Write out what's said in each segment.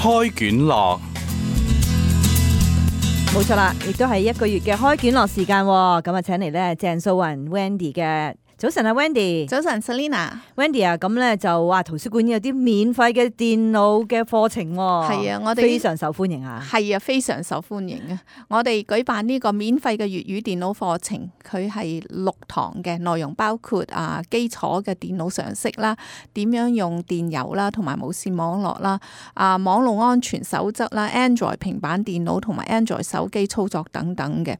開卷樂，冇錯啦，亦都係一個月嘅開卷樂時間喎。咁啊，請嚟咧鄭素雲 Wendy 嘅。早晨啊 Wendy， 早晨 Selina。Wendy 啊，咁咧就話圖書館有啲免費嘅電腦嘅課程喎。係啊，我哋非常受歡迎啊。係啊，非常受歡迎啊！我哋舉辦呢個免費嘅粵語電腦課程，佢係6堂嘅，內容包括基礎嘅電腦常識啦，點樣用電郵啦，同埋無線網絡啦，網絡安全守則啦 ，Android 平板電腦同埋 Android 手機操作等等嘅，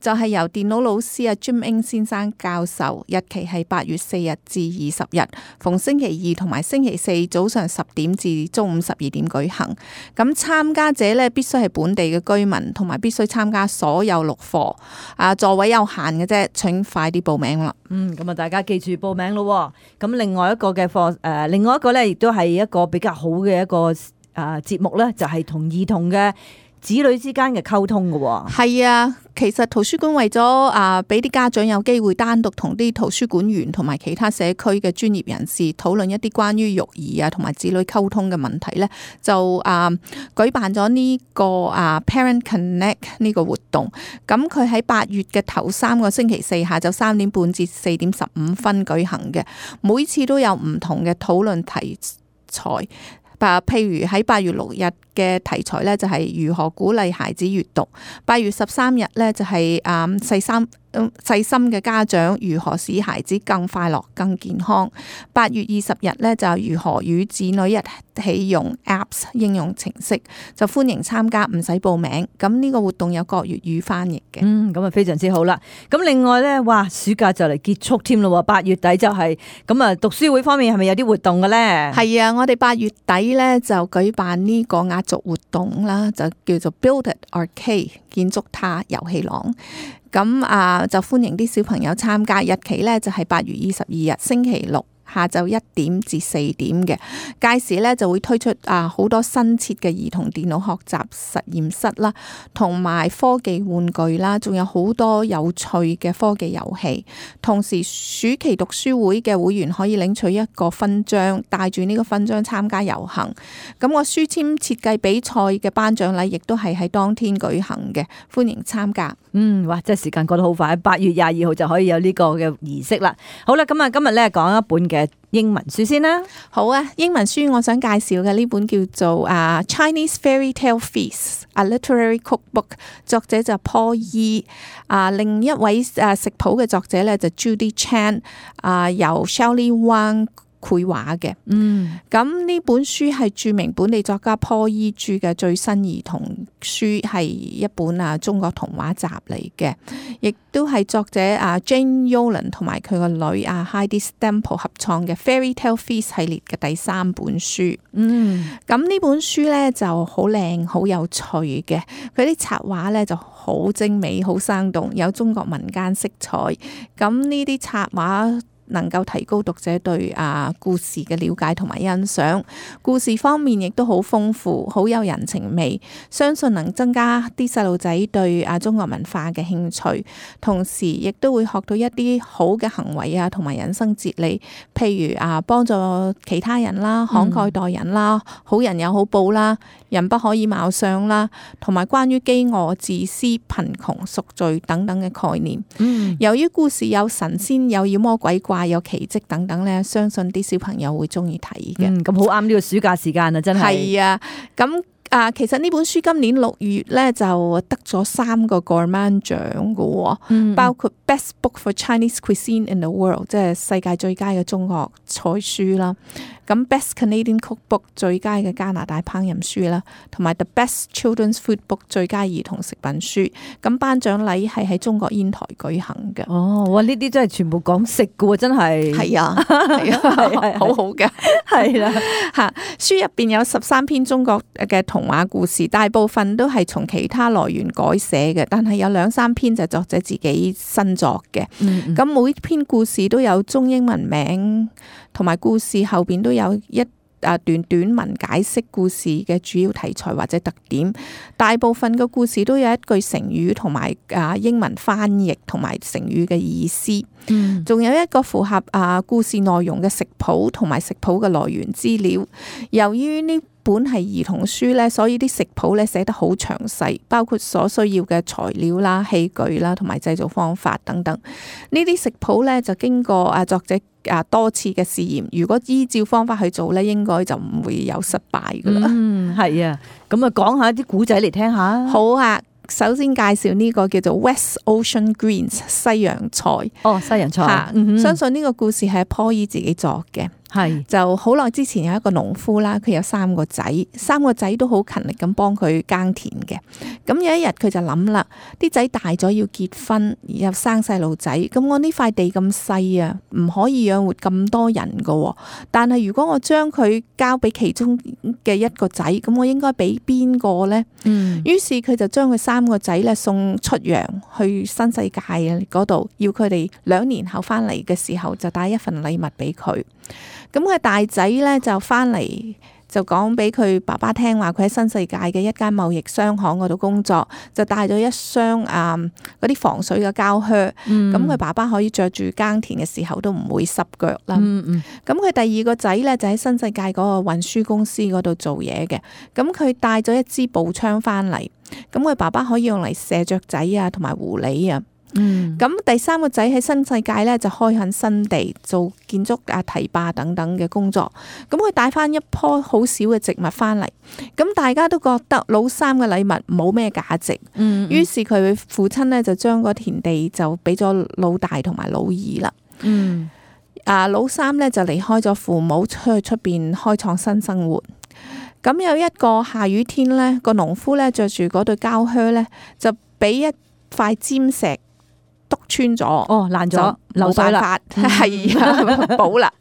就係由電腦老師Jim Eng 先生教授，日期係8月4日至20日，逢星期二同埋星期四早上10點至中午12點舉行。咁參加者咧必須係本地嘅居民，同埋必須參加所有6課。座位有限嘅啫，請快啲報名啦。咁啊，大家記住報名咯。咁另外一個嘅課，另外一個咧，亦都係一個比較好嘅一個節目咧，就係同兒童嘅子女之間嘅溝通嘅。係啊，其實圖書館為咗俾啲家長有機會單獨同啲圖書館員同埋其他社區嘅專業人士討論一啲關於育兒同埋子女溝通嘅問題咧，就舉辦咗呢個Parent Connect 呢個活動。咁佢喺8月嘅頭3個星期四下晝3點半至4點15分舉行嘅，每次都有唔同嘅討論題材。譬如喺8月6日嘅題材咧，就係如何鼓勵孩子閱讀；8月13日咧，就係細心嘅家長如何使孩子更快樂、更健康；8月20日咧，就如何與子女一起用 Apps 應用程式，就歡迎參加，唔使報名。咁呢個活動有國粵語翻譯嘅。咁啊非常之好啦。咁另外咧，哇，暑假就嚟結束添咯，8月底就係咁啊。讀書會方面係咪有啲活動嘅咧？係啊，我哋8月底咧就舉辦呢個壓軸活動啦，就叫做 Build It Arcade 建築它遊戲廊。咁就歡迎啲小朋友參加，日期咧就係8月22日星期六下晝1點至4點嘅。屆時咧就會推出好多新設嘅兒童電腦學習實驗室啦，同埋科技玩具啦，仲有好多有趣嘅科技遊戲。同時暑期讀書會嘅會員可以領取一個勳章，帶住呢個勳章參加遊行。咁個書籤設計比賽嘅頒獎禮亦都係喺當天舉行嘅，歡迎參加。哇！真係時間過得好快，8月22號就可以有呢個嘅儀式啦。好啦，咁啊，今日咧講一本嘅英文書先啦。好啊，英文書我想介紹嘅呢本叫做Chinese Fairy Tale Feast: A Literary Cookbook， 作者就 Paul Yee。另一位食譜嘅作者咧就 Judy Chan， 由 Shelley Wang繪畫嘅。咁呢本書係著名本地作家 Paul Yee著嘅最新兒童書，係一本中國童話集嚟嘅，亦都係作者Jane Yolen 同埋佢個女Heidi Stemple 合創嘅 Fairy Tale Feast 系列嘅第3本書。咁呢本書咧就好靚好有趣嘅，佢啲插畫咧就好精美好生動，有中國民間色彩。咁呢啲插畫能夠提高讀者對故事嘅了解同埋欣賞，故事方面亦都好豐富，好有人情味，相信能增加啲細路仔對中國文化嘅興趣，同時亦都會學到一啲好嘅行為同埋人生哲理，譬如幫助其他人啦，慷慨待人啦，好人有好報啦，人不可以貌相啦，同埋關於飢餓、自私、貧窮、贖罪等等嘅概念。由於故事有神仙、有妖魔鬼怪、有奇蹟等等咧，相信啲小朋友會中意睇嘅。咁好啱呢個暑假時間啊，真係。係啊，咁其實呢本書今年6月咧就得咗3個 Gourmand 獎嘅，包括 Best Book for Chinese Cuisine in the World， 即係世界最佳嘅中國菜書啦。咁 Best Canadian Cookbook 最佳嘅加拿大烹飪書啦，同埋 The Best Children's Food Book 最佳兒童食品書。咁頒獎禮係喺中國煙台舉行嘅。哇！呢啲真係全部講食嘅喎，真係。係啊，係啊，好好嘅。係啦，書入邊有13篇中國嘅童話故事，大部分都係從其他來源改寫嘅，但係有2-3篇就係作者自己新作嘅。咁每篇故事都有中英文名，同埋故事後邊都有一段短文解釋故事嘅主要題材或者特點。大部分嘅故事都有一句成語同埋英文翻譯同埋成語嘅意思。仲有一個符合故事內容嘅食譜同埋食譜嘅來源資料。由於呢本係兒童書咧，所以啲食譜咧寫得好詳細，包括所需要嘅材料啦、器具啦，同埋製造方法等等。呢啲食譜咧就經過作者多次嘅試驗，如果依照方法去做咧，應該就唔會有失敗噶啦。係啊，咁啊講下啲古仔嚟聽下。好啊，首先介紹呢個叫做 West Ocean Greens 西洋菜。西洋菜。相信呢個故事係坡伊自己作嘅。係就好耐之前有一個農夫啦，佢有3個仔，3個仔都好勤力咁幫佢耕田嘅。咁有一日佢就諗啦，啲仔大咗要結婚，又生細路仔，咁我呢塊地咁細啊，唔可以養活咁多人噶。但係如果我將佢交俾其中嘅一個仔，咁我應該俾邊個呢？於是佢就將佢3個仔咧送出洋去新世界嗰度，要佢哋2年後翻嚟嘅時候就帶一份禮物俾佢。咁佢大仔咧就翻嚟就講俾佢爸爸聽話，佢喺新世界嘅一間貿易商行嗰度工作，就帶咗一箱嗰啲防水嘅膠靴。咁佢爸爸可以着住耕田嘅時候都唔會濕腳啦。咁佢第2個仔咧就喺新世界嗰個運輸公司嗰度做嘢嘅。咁佢帶咗一支步槍翻嚟，咁佢爸爸可以用嚟射雀仔啊，同埋狐狸啊。咁第3個仔喺新世界咧就開墾新地，做建築堤壩等等嘅工作。咁佢帶翻一棵好少嘅植物翻嚟，咁大家都覺得老三嘅禮物冇咩價值。於是佢父親咧就將個田地就俾咗老大同埋老二啦。老三咧就離開咗父母，出去出邊開創新生活。咁有一個下雨天咧，個農夫咧着住嗰對膠靴咧，就俾一塊尖石篤穿咗，爛咗，冇辦法，係補啦。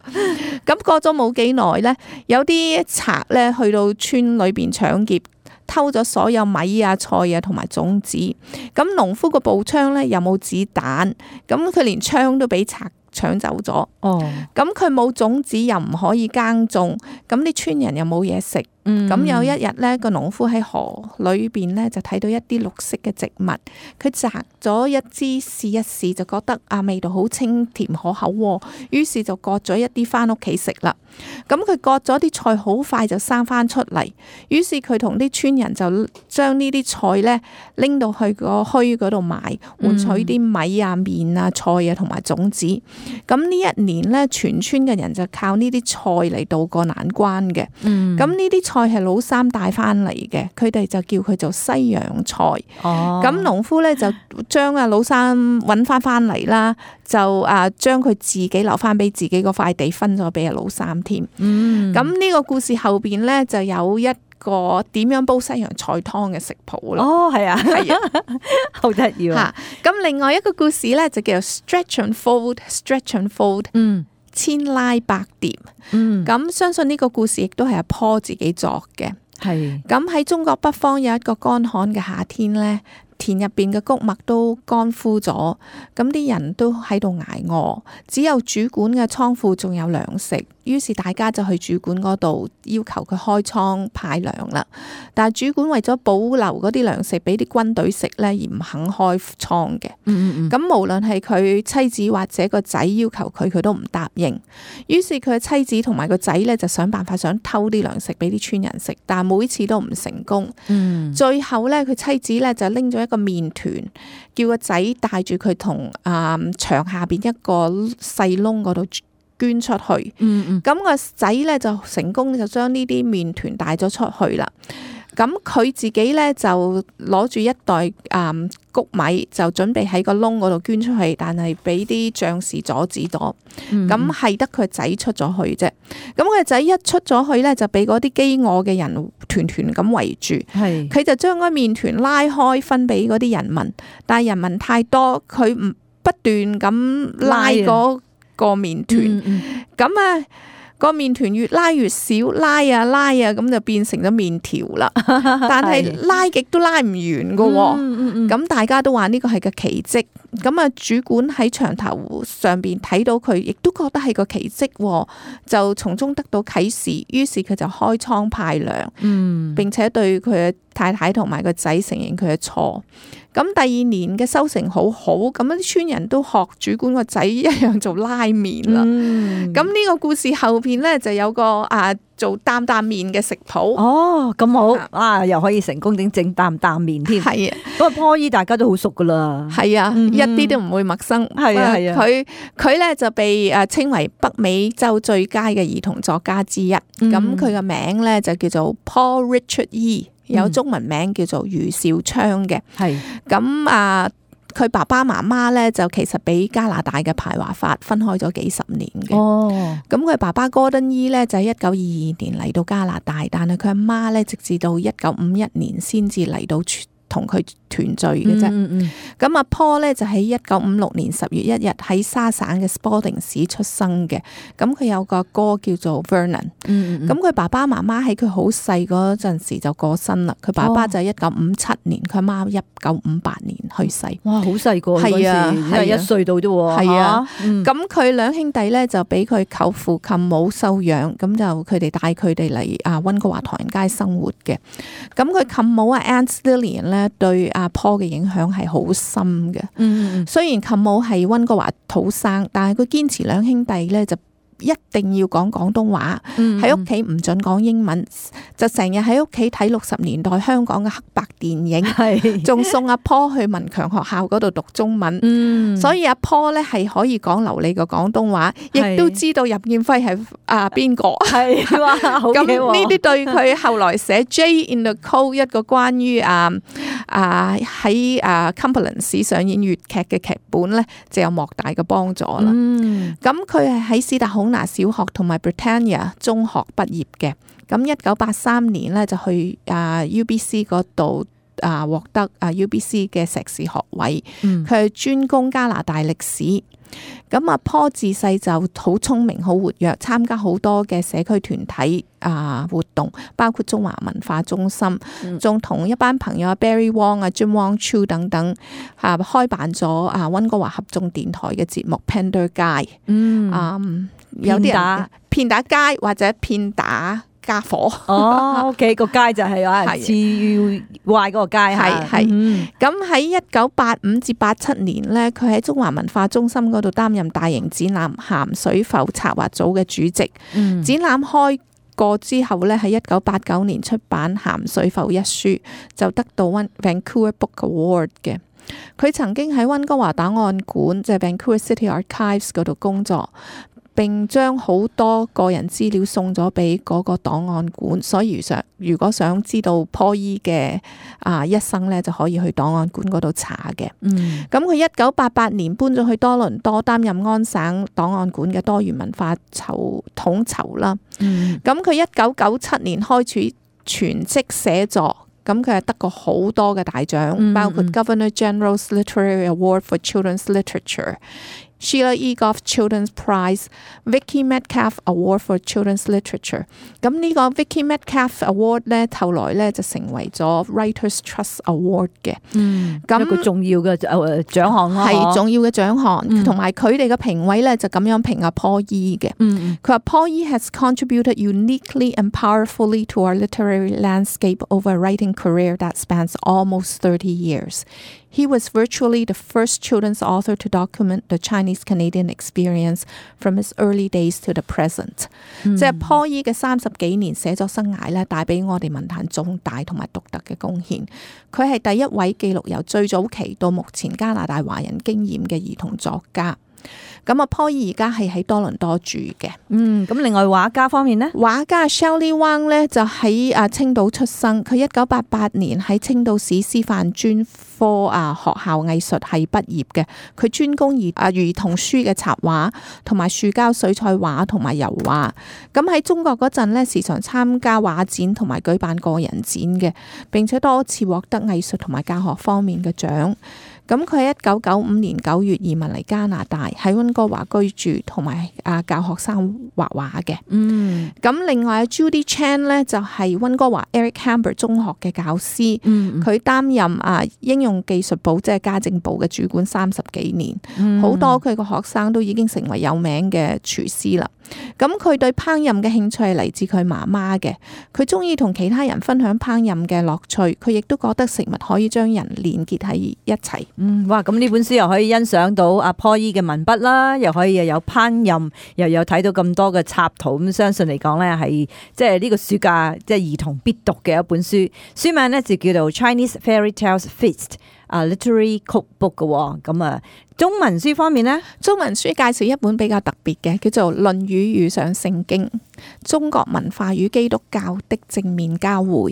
咁過咗冇幾耐咧，有啲賊咧去到村裏邊搶劫，偷咗所有米啊、菜啊同埋種子。咁農夫個步槍咧又冇子彈，咁佢連槍都俾賊搶走咗。咁佢冇種子又唔可以耕種，咁啲村人又冇嘢食。咁有一日咧，個農夫喺河裏邊咧就睇到一啲綠色嘅植物，佢摘咗一支試一試，就覺得味道好清甜可口，於是就割咗一啲翻屋企食啦。咁佢割咗啲菜好快就生翻出嚟，於是佢同啲村人就將呢啲菜咧拎到去個墟嗰度賣，換取啲米啊、麵啊、菜啊同埋種子。咁呢一年咧，全村嘅人就靠呢啲菜嚟渡過難關嘅。咁呢啲菜係老三帶翻嚟嘅，佢哋就叫佢做西洋菜。咁農夫咧就將老三揾翻嚟啦，就將佢自己留翻俾自己嗰塊地，分咗俾老三添。咁呢個故事後邊咧就有一個點樣煲西洋菜湯嘅食譜啦。係啊，係啊，好得意啊！咁另外一個故事咧就叫做 Stretch and Fold，Stretch and Fold。千拉百疊。咁相信呢個故事亦都係阿坡自己作嘅。咁喺中國北方有一個乾旱嘅夏天咧，田入邊嘅穀物都乾枯咗，咁啲人都喺度捱餓，只有主管嘅倉庫仲有糧食。於是大家就去主管嗰度要求佢開倉派糧啦。但係主管為咗保留嗰啲糧食俾啲軍隊食咧，而唔肯開倉嘅。咁無論係佢妻子或者個仔要求佢都唔答應。於是佢嘅妻子同埋個仔咧就想辦法想偷啲糧食俾啲村人食，但係每次都唔成功。最後咧，佢妻子咧就拎咗一個麵團，叫個仔帶住佢同牆下邊一個細窿嗰度捐出去。咁個仔咧就成功就將呢啲麵團帶咗出去啦。咁佢自己咧就攞住一袋穀米，就準備喺個窿嗰度捐出去，但係俾啲將士阻止咗。咁係得佢仔出咗去啫。咁佢仔一出咗去咧，就俾嗰啲飢餓嘅人團團咁圍住。佢就將嗰麵團拉開分俾嗰啲人民，但係人民太多，佢唔不斷咁拉嗰個麵團。咁個麵團越拉越少，拉啊咁就變成咗麵條啦。但係拉極都拉唔完噶。咁大家都話呢個係個奇蹟。咁主管喺牆頭上邊睇到佢，亦都覺得係個奇蹟，就從中得到啟示。於是佢就開倉派糧，並且對佢嘅太太同埋個仔承認佢嘅錯。咁第二年嘅收成好好，咁啲村人都學主管個仔一樣做拉麵啦。咁呢個故事後邊咧就有個做擔擔麵嘅食譜。哦，咁好又可以成功整擔擔麵添。係啊，嗰個坡姨大家都好熟噶啦。係啊，一啲都唔會陌生。係啊係啊，佢咧就被稱為北美洲最佳嘅兒童作家之一。咁佢嘅名咧就叫做 Paul Richard Yee， 有中文名叫做余少昌嘅。係咁佢爸爸媽媽咧就其實俾加拿大嘅排華法分開咗幾十年嘅。咁佢爸爸 Gordon Yee 咧就喺1922年嚟到加拿大，但係佢阿媽咧直至到1951年先至嚟到同佢團聚嘅啫。咁阿 Paul 咧就喺1956年10月1日喺沙省嘅 Spalding 市出生嘅。咁佢有個哥叫做 Vernon。咁佢爸爸媽媽喺佢好細嗰陣時就過身啦。佢爸爸就係1957年，佢阿媽1958年去世。哇，好細個，係啊，係1歲到啫喎。係啊，咁佢兩兄弟咧就俾佢舅父舅母收養，咁就佢哋帶佢哋嚟溫哥華唐人街生活嘅。咁佢舅母Aunt Lillian 咧對阿 Paul 嘅影響係好深嘅。雖然舅母係溫哥華土生，但係佢堅持兩兄弟咧就一定要講廣東話，喺屋企唔准講英文，就成日喺屋企睇60年代香港嘅黑白電影，仲送阿 Paul 去文強學校嗰度讀中文。所以阿 Paul 咧係可以講流利嘅廣東話，亦都知道任劍輝係邊個。係哇，好嘅喎。咁呢啲對佢後來寫 Jay in the Cold 一個關於喺Cumberland 市上演粵劇嘅劇本咧，就有莫大嘅幫助啦。咁佢係喺斯達孔拿小學同埋 Britannia 中學畢業嘅。咁1983年咧就去UBC 嗰度獲得UBC 嘅碩士學位。佢係專攻加拿大歷史。咁阿 Paul 自細就好聰明好活躍，參加好多嘅社區團體活動，包括中華文化中心，仲同一班朋友Barry Wong Jim Wong Chu 等等開辦咗溫哥華合眾電台嘅節目 Pender 街。有啲人片打街或者片打家伙。OK， 個街就係CUY 嗰個街。係咁喺1985至87年咧，佢喺中華文化中心嗰度擔任大型展覽鹹水埠策劃組嘅主席。展覽開過之後咧，喺1989年出版《鹹水埠》一書，就得到 Vancouver Book Award 嘅。佢曾經喺溫哥華檔案館，即係 Vancouver City Archives 嗰度工作。並將好多個人資料送咗俾嗰個檔案館，所以如果想知道 Paul Yee 嘅一生咧，就可以去檔案館嗰度查嘅。咁佢1988年搬咗去多倫多，擔任安省檔案館嘅多元文化統籌啦。咁佢1997年開始全職寫作。咁佢係得過好多嘅大獎，包括 Governor General's Literary Award for Children's Literature、Sheila Egoff Children's Prize、Vicky Metcalf Award for Children's Literature。咁呢個 Vicky Metcalf Award 咧，後來咧就成為咗 Writers Trust Award 嘅。咁一個重要嘅獎項咯，係重要嘅獎項。同埋佢哋嘅評委咧就咁樣評阿 Paul Yee 嘅。佢話 Paul Yee has contributed uniquely and powerfully to our literary landscape over a writing career that spans almost 30 years. He was virtually the first children's author to document the Chinese-Canadian experience from his early days to the present。即係 Paul Yee 嘅30幾年寫作生涯咧，帶俾我哋文壇重大同埋獨特嘅貢獻。佢係第一位記錄由最早期到目前加拿大華人經驗嘅兒童作家。咁啊 Paul Yee 而家係喺多倫多住嘅。咁另外畫家方面呢，畫家 Shelley Wang 咧就喺青島出生。佢1988年喺青島市師範專科學校藝術系畢業嘅。佢專攻兒童書嘅插畫，同埋樹膠水彩畫同埋油畫。咁喺中國嗰陣咧，時常參加畫展同埋舉辦個人展嘅，並且多次獲得藝術同埋教學方面嘅獎。咁佢喺1995年9月移民嚟加拿大，喺溫哥華居住，同埋教學生畫畫嘅。咁另外 Judy Chan 咧就係溫哥華 Eric Hamber 中學嘅教師，佢擔任應用技術部即係家政部嘅主管30幾年，好多佢個學生都已經成為有名嘅廚師啦。咁佢對烹飪嘅興趣係嚟自佢媽媽嘅，佢中意同其他人分享烹飪嘅樂趣，佢亦都覺得食物可以將人連結喺一齊。哇！咁呢本書又可以欣賞到阿 Paul Yee 嘅文筆啦，又可以又有烹飪，又有睇到咁多嘅插圖，咁相信嚟講咧係即係呢個暑假即係兒童必讀嘅一本書。書名咧就叫做 Chinese Fairy Tales Feast，A Literary Cookbook 嘅。咁中文書方面呢，中文書介紹一本比較特別嘅，叫做《論語遇上聖經：中國文化與基督教的正面交匯》。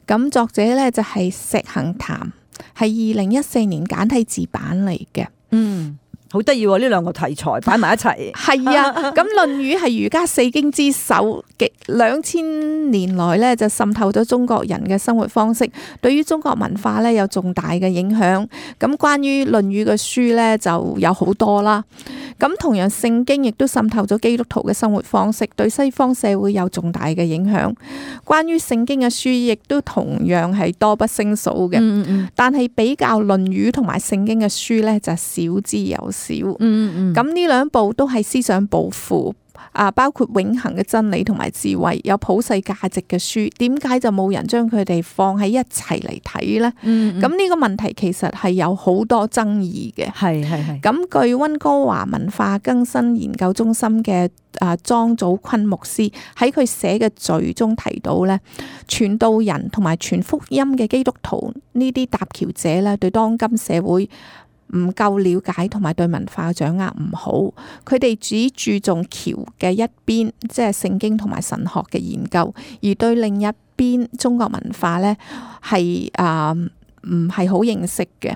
咁作者呢就係石杏潭，係2014年簡體字版嚟嘅。好得意喎！呢兩個題材擺埋一齊。係啊，咁《論語》係儒家四經之首，極2000年來咧就滲透咗中國人嘅生活方式，對於中國文化咧有重大嘅影響。咁關於《論語》嘅書咧就有好多啦。咁同樣聖經亦都滲透咗基督徒嘅生活方式，對西方社會有重大嘅影響。關於聖經嘅書亦都同樣係多不勝數嘅。但係比較《論語》同埋聖經嘅書咧就少之又少。咁呢兩部都係思想抱負，包括永恆嘅真理同埋智慧，有普世價值嘅書，點解就冇人將佢哋放喺一齊嚟睇呢？咁呢個問題其實係有好多爭議嘅。係。咁據溫哥華文化更新研究中心嘅莊祖坤牧師喺佢寫嘅序中提到呢，傳道人同埋傳福音嘅基督徒呢啲搭橋者呢，對當今社會唔夠了解同埋對文化嘅掌握唔好，佢哋只注重橋嘅一邊，即係聖經同埋神學嘅研究，而對另一邊中國文化呢係唔係好認識嘅。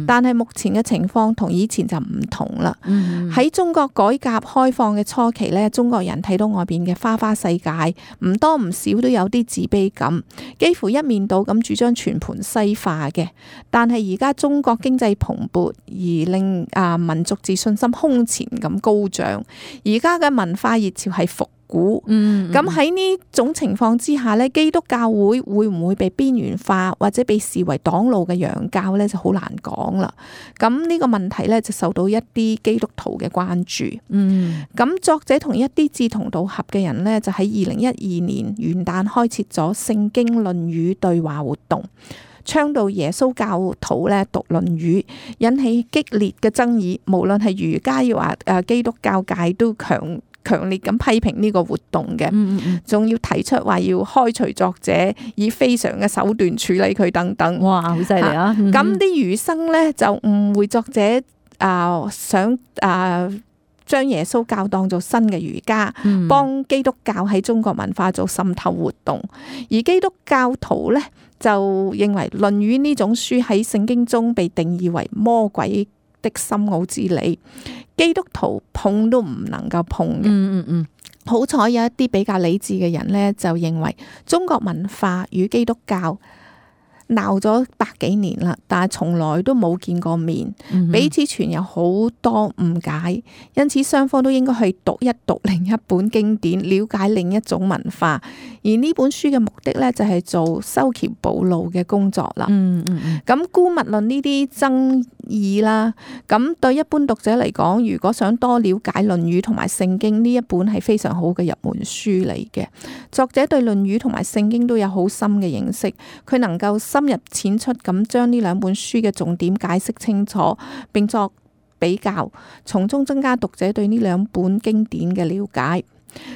但係目前嘅情況同以前就唔同啦。喺中國改革開放嘅初期呢，中國人睇到外邊嘅花花世界，唔多唔少都有啲自卑感，幾乎一面倒咁主張全盤西化嘅。但係而家中國經濟蓬勃，而令民族自信心空前咁高漲，而家嘅文化熱潮係復古。咁喺呢種情況之下呢，基督教會唔會被邊緣化或者被視為擋路嘅洋教呢，就好難講啦。咁呢個問題呢，就受到一啲基督徒嘅關注。咁作者同一啲志同道合嘅人呢，就喺2012年元旦開設咗聖經論語對話活動，倡導耶穌教徒咧讀論語，引起激烈嘅爭議。無論係儒家要話基督教界都強烈咁批評呢個活動嘅，仲要提出話要開除作者，以非常嘅手段處理佢等等。哇，好犀利啊！咁啲儒生呢，就誤會作者想將耶穌教當做新嘅儒家，幫基督教喺中國文化做滲透活動。而基督教徒呢，就認為《論語》呢種書喺聖經中被定義為魔鬼的深奧之理，基督徒碰都唔能夠碰嘅。好彩有一啲比較理智嘅人呢，就認為中國文化與基督教鬧咗100幾年啦，但係從來都冇見過面，彼此存有好多誤解，因此雙方都應該去讀一讀另一本經典，了解另一種文化。而呢本書嘅目的呢，就係做修橋補路嘅工作啦。咁姑勿論呢啲爭議啦，咁對一般讀者嚟講，如果想多了解《論語》同埋聖經，呢一本係非常好嘅入門書嚟嘅。作者對《論語》同埋聖經都有好深嘅認識，佢能夠深入淺出咁將呢兩本書嘅重點解釋清楚，並作比較，從中增加讀者對呢兩本經典嘅了解。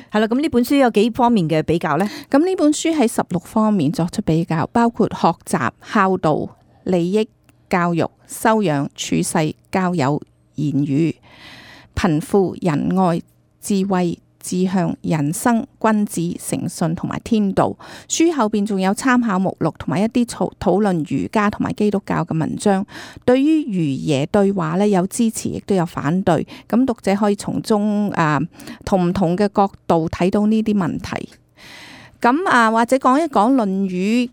係啦，咁呢本書有幾方面嘅比較呢？咁呢本書喺16方面作出比較，包括學習、孝道、利益、教育、修養、處世、交友、言語、貧富、仁愛、智慧、志向、人生、君子、誠信同埋天道。書後邊仲有參考目錄同埋一啲討論儒家同埋基督教嘅文章。對於儒耶對話呢，有支持亦都有反對。咁讀者可以從中同唔同嘅角度睇到呢啲問題。咁或者講一講《論語》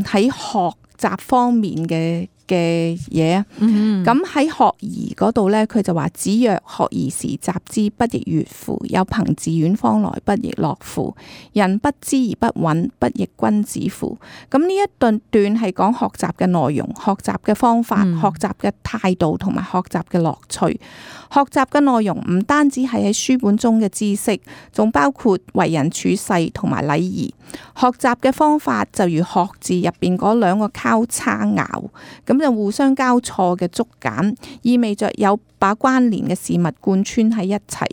喺學習方面嘅嘅嘢啊。咁喺學而嗰度咧，佢就話：子曰學而時習之，不亦說乎？有朋自遠方來，不亦樂乎？人不知而不愠，不亦君子乎？咁呢一段係講學習嘅內容、學習嘅方法、學習嘅態度同埋學習嘅樂趣。學習嘅內容唔單止係喺書本中嘅知識，仲包括為人處世同埋禮儀。學習嘅方法就如學字入邊嗰兩個交叉拗，咁就互相交錯嘅竹簡，意味着有把關聯嘅事物貫穿喺一齊。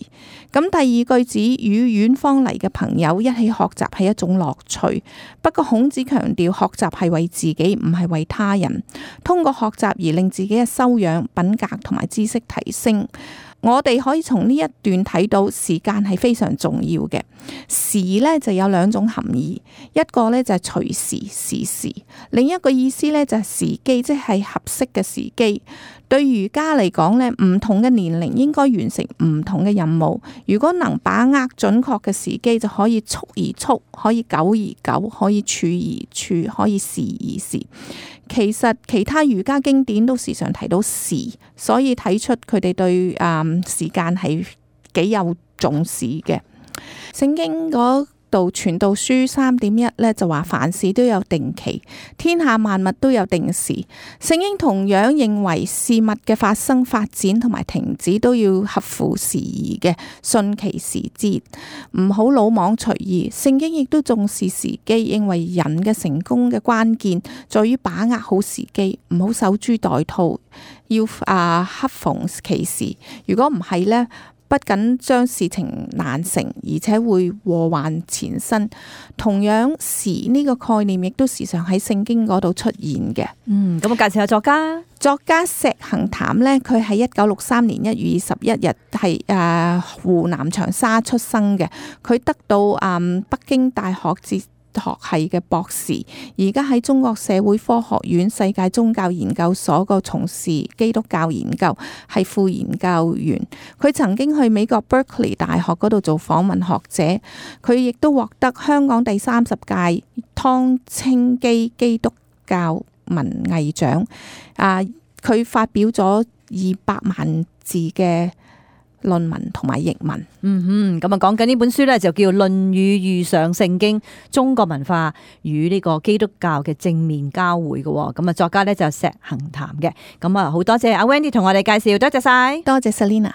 咁第二句子，與遠方嚟嘅朋友一起學習係一種樂趣。不過孔子強調學習係為自己，唔係為他人。通過學習而令自己嘅修養、品格同埋知識提升。我哋可以從呢一段睇到時間係非常重要嘅。時呢就有兩種含義，一個呢就係隨時時時，另一個意思呢就係時機，即係合適嘅時機。對儒家嚟講呢，唔同嘅年齡應該完成唔同嘅任務。如果能把握準確嘅時機，就可以速而速，可以久而久，可以處而處，可以時而時。其實其他儒家經典都時常提到時，所以睇出佢哋對時間係幾有重視嘅。聖經嗰度傳道書3.1咧就話凡事都有定期，天下萬物都有定時。聖經同樣認為事物嘅發生、發展同埋停止都要合乎時宜嘅，順其時節，唔好魯莽隨意。聖經亦都重視時機，認為人嘅成功嘅關鍵在於把握好時機，唔好守株待兔，要恰逢其時。如果唔係呢，不僅將事情難成，而且會禍患纏身。同樣時呢個概念亦都時常喺聖經嗰度出現嘅。咁我介紹下作家。作家石行談呢，佢係1963年1月21日係湖南長沙出生嘅。佢得到北京大學哲學系嘅博士，而家喺中國社會科學院世界宗教研究所個從事基督教研究，係副研究員。佢曾經去美國 Berkeley 大學嗰度做訪問學者，佢亦都獲得香港第30屆湯清基基督教文藝獎。佢發表咗200萬字嘅論文同埋譯文。咁啊講緊呢本書咧就叫《論語遇上聖經：中國文化與呢個基督教嘅正面交匯》嘅。咁啊作家咧就石行談嘅。咁啊好多謝阿 Wendy 同我哋介紹，多謝晒，多謝 Selina。